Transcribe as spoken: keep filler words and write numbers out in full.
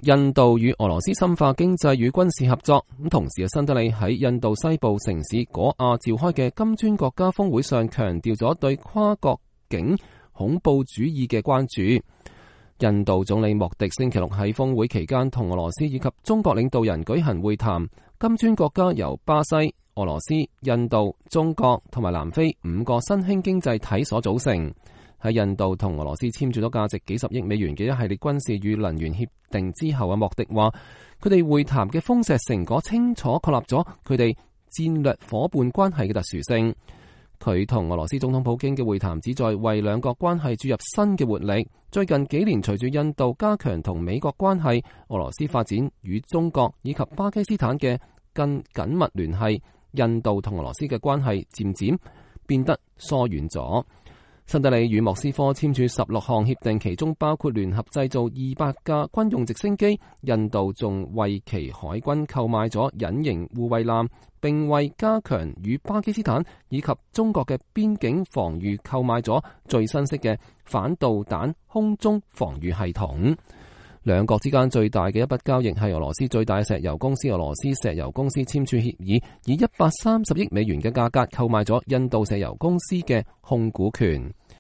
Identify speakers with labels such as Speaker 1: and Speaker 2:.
Speaker 1: 印度與俄羅斯深化經濟與軍事合作。咁同時，新德里喺印度西部城市果亞召開嘅金磚國家峰會上，強調咗對跨國境恐怖主義嘅關注。印度總理莫迪星期六喺峰會期間同俄羅斯以及中國領導人舉行會談。金磚國家由巴西、俄羅斯、印度、中國同埋南非五個新興經濟體所組成。喺印度同俄羅斯簽署咗價值幾十億美元嘅一系列軍事與能源協定之後，阿莫迪話佢哋會談嘅豐碩成果清楚確立咗佢哋戰略夥伴關係嘅特殊性。佢同俄羅斯總統普京嘅會談旨在為兩國關係注入新嘅活力。最近幾年，隨住印度加強同美國關係，俄羅斯發展與中國以及巴基斯坦嘅更緊密聯繫，印度同俄羅斯嘅關係漸漸變得疏遠咗。新德里與莫斯科簽署十六項協定，其中包括聯合製造二百架軍用直升機。印度仲為其海軍購買咗隱形護衛艦，並為加強與巴基斯坦以及中國嘅邊境防禦購買咗最新式嘅反導彈空中防禦系統。兩國之間最大嘅一筆交易係俄羅斯最大嘅石油公司俄羅斯石油公司簽署協議，以一百三十億美元嘅價格購買咗印度石油公司嘅控股權。